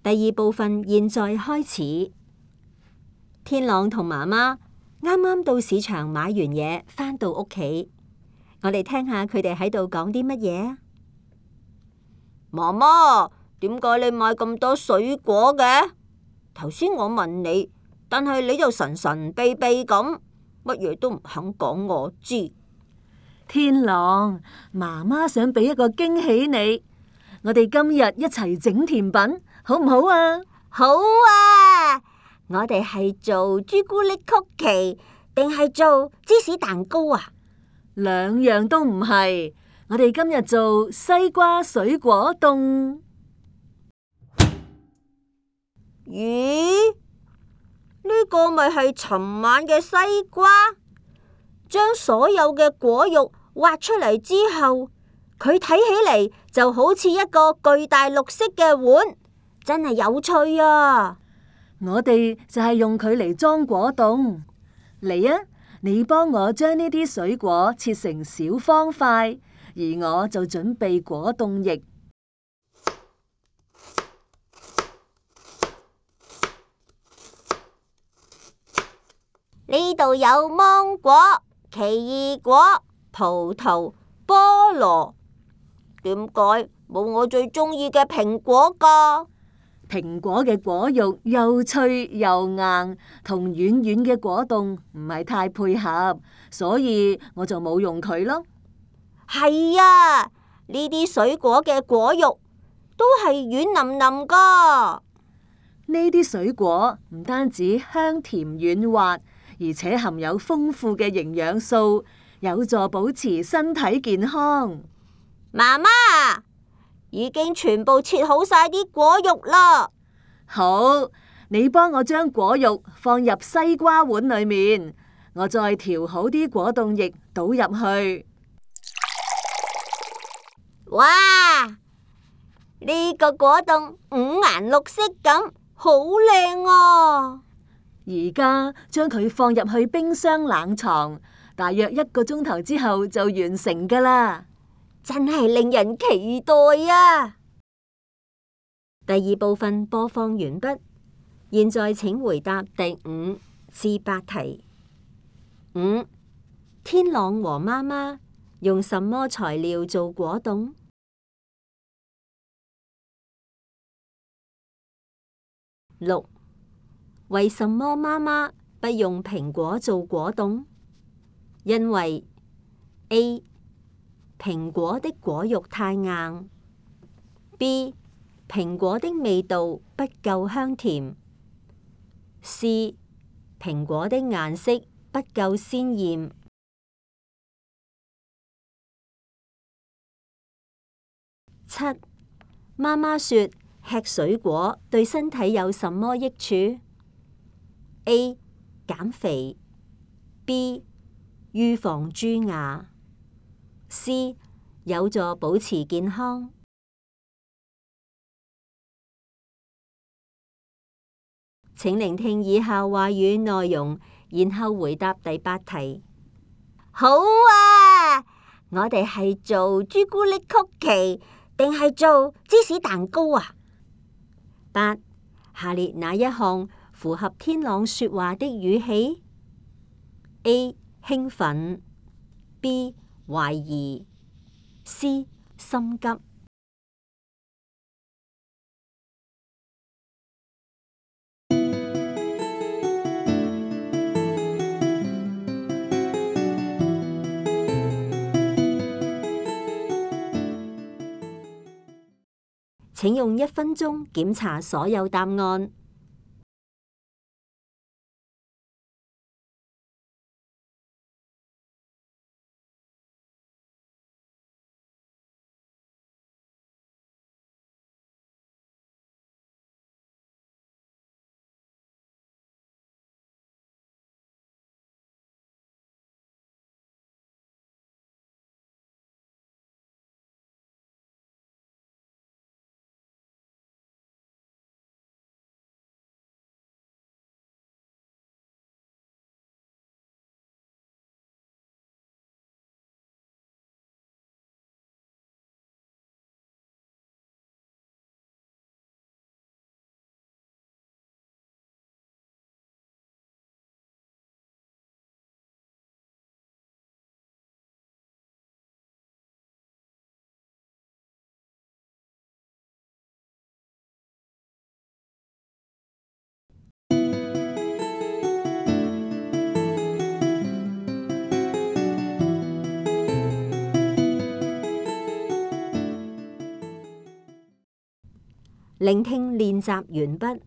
第二部分現在開始。天朗同媽媽啱啱到市場買完嘢，返到屋企，我哋聽下佢哋喺度講啲乜嘢啊？媽媽，點解你買咁多水果嘅？頭先我問你，但係你就神神秘秘咁，乜嘢都唔肯講我知。天朗，媽媽想俾一個驚喜你，我哋今日一齊整甜品，好唔好啊？好啊！我哋係做朱古力曲奇，定係做芝士蛋糕啊？兩樣都唔係，我哋今日做西瓜水果凍。咦？呢個咪係尋晚嘅西瓜？將所有嘅果肉挖出嚟之後，佢睇起嚟就好似一個巨大綠色嘅碗，真係有趣啊！我哋就係用佢嚟裝果凍。嚟啊，你幫我將呢啲水果切成小方塊，而我就準備果凍液。呢度有芒果、奇異果、葡萄、菠蘿，點解冇我最中意嘅蘋果㗎？蘋果嘅果肉又脆又硬，同軟軟嘅果凍唔係太配合，所以我就冇用佢咯。係啊，呢啲水果嘅果肉都係軟腍腍㗎。呢啲水果唔單止香甜軟滑，而且含有豐富嘅營養素，有助保持身體健康。媽媽，已經全部切好晒啲果肉啦。好，你幫我將果肉放入西瓜碗裏面，我再調好啲果凍液倒入去。哇！呢個果凍五顏六色咁，好靚啊！而家將佢放入去冰箱冷藏，大約1個鐘頭之後就完成㗎啦。真係令人期待啊！第二部分播放完畢，現在請回答第5至8題。5. 天朗和媽媽用什麼材料做果凍？6. 為什麼媽媽不用蘋果做果凍？因為 A. 蘋果的果肉太硬， B. 蘋果的味道不夠香甜， C. 蘋果的顏色不夠鮮豔。7. 媽媽說吃水果對身體有什麼益處？ A. 減肥， B. 預防蛀牙， C. 有助保持健康。請聆聽以下話語內容，然後回答第8題。好啊！我哋係做朱古力曲奇，定係做芝士蛋糕啊？8. 下列哪一項符合天朗說話的語氣？ A. 興奮， B. 懷疑， C. 心急。請用1分鐘檢查所有答案。聆聽練習完畢。